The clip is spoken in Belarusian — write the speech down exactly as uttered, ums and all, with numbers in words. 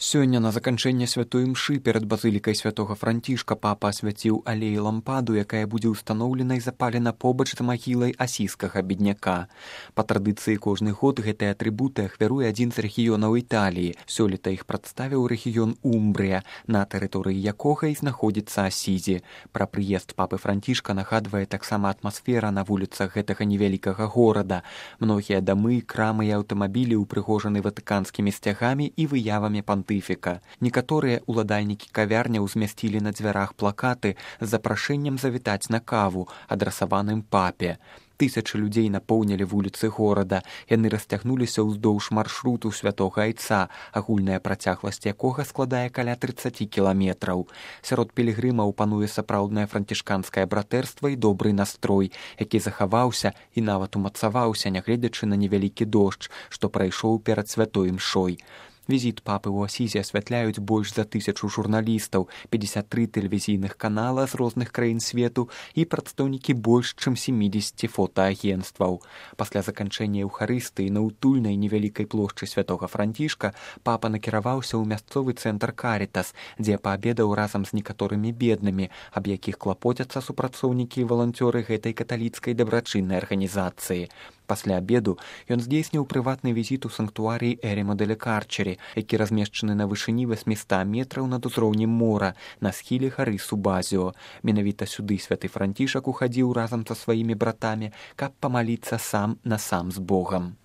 Сёння на заканчэнне святой імшы перад базылікай святога Францішка папа асвяціў алей лампаду, якая будзе ўстаноўлена і запалена побач з магілай асійскага бедняка. Па традыцыі кожны год гэтыя атрыбуты ахвяруе адзін з рэгіёнаў Італіі. Сёлета іх прадставіў рэгіён Умбрыя, на тэрыторыі якога і знаходзіцца Асізі. Пра прыезд папы Францішка нагадвае таксама атмасфера на вуліцах гэтага невялікага горада. Многія дамы, крамы і аўтамабілі ўпрыгожаны ватыканскімі сцягамі і выявамі пантыфіка. Некаторыя уладальнікі кавярняў змясцілі на дзвярах плакаты з запрашэннем завітаць на каву, адрасаваным папе. Тысячы людзей напоўнілі вуліцы горада. Яны расцягнуліся ўздоўж маршруту святога айца, агульная працягласць якога складае каля трыццаць кіламетраў. Сярод пілігрымаў пануе сапраўднае францішканскае братэрства і добры настрой, які захаваўся і нават умацаваўся, нягледзячы на невялікі дождж, што прайшоў перад святой імшой. Візіт папы ў Асізе асвятляюць больш за тысячу журналістаў, пятьдесят три тэлевізійных канала з розных краін свету і прадстаўнікі больш чым семидесяти фотоагенцтваў. Пасля заканчэння эўхарыстыі на утульнай невялікай плошчы святога Францішка папа накіраваўся ў мясцовы цэнтр Карітас, дзе паабедаў разам з некаторымі беднымі, аб якіх клапоцяцца супрацоўнікі і валанцёры гэтай каталіцкай дабрачыннай арганізацыі. Пасля абеду ён здзейсніў прыватны візіт у санктуарый Эремо деле Карчери, які размешчаны на вышыні восьмісот метраў над узроўнем мора на схіле гары Субазіо. Менавіта сюды святы Францішак ухадзіў разам са сваімі братамі, каб памаліцца сам на сам з Богам.